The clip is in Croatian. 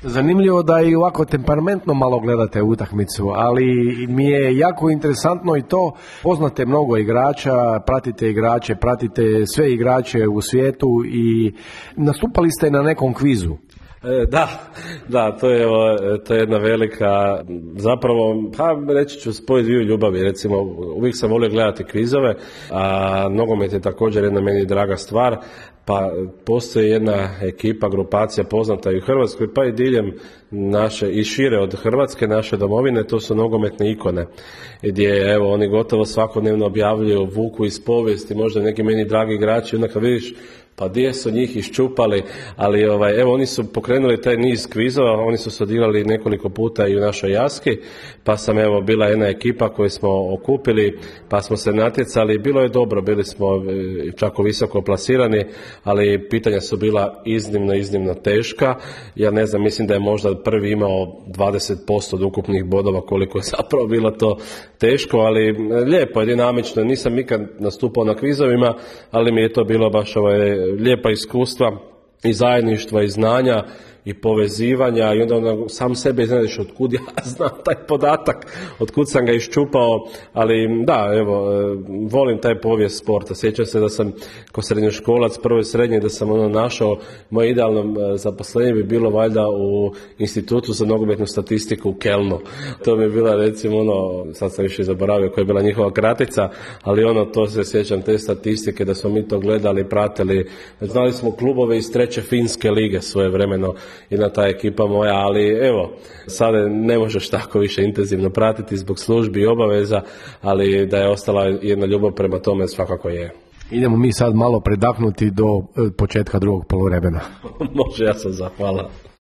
Zanimljivo da i ovako temperamentno malo gledate utakmicu, ali mi je jako interesantno i to, poznate mnogo igrača, pratite sve igrače u svijetu i nastupali ste na nekom kvizu. Da, to je jedna velika, zapravo, reći ću spoj dviju ljubavi, recimo, uvijek sam volio gledati kvizove, a nogomet je također jedna meni draga stvar, pa postoji jedna ekipa, grupacija poznata i u Hrvatskoj, pa i diljem naše, i šire od Hrvatske, naše domovine, to su nogometne ikone, gdje, evo, oni gotovo svakodnevno objavljuju, vuku iz povijesti, možda neki meni dragi igrači, onda kad vidiš, pa gdje su njih iščupali, ali evo oni su pokrenuli taj niz kvizova, oni su se odigrali nekoliko puta i u našoj Jaski, pa sam bila jedna ekipa koju smo okupili, pa smo se natjecali, bilo je dobro, bili smo čak visoko plasirani, ali pitanja su bila iznimno teška, ja ne znam, mislim da je možda prvi imao 20% od ukupnih bodova, koliko je zapravo bilo to teško, ali lijepo je, dinamično, nisam nikad nastupao na kvizovima, ali mi je to bilo baš lijepa iskustva i zajedništva i znanja i povezivanja i onda sam sebe iznenadiš otkud ja znam taj podatak, otkud sam ga iščupao, ali da, evo, volim taj povijest sporta. Sjećam se da sam kao srednjoškolac, prvo i srednje, da sam našao moje idealno zaposlenje bi bilo valjda u Institutu za nogometnu statistiku u Kelnu. To mi je bila, recimo, sad sam više zaboravio koja je bila njihova kratica, ali to se sjećam, te statistike, da smo mi to gledali, pratili, znali smo klubove iz 3. finske lige svojevremeno, jedna ta ekipa moja, ali evo, sada ne možeš tako više intenzivno pratiti zbog službi i obaveza, ali da je ostala jedna ljubav prema tome, svakako je. Idemo mi sad malo predahnuti do početka drugog poluvremena. Može, ja sam zahvalan.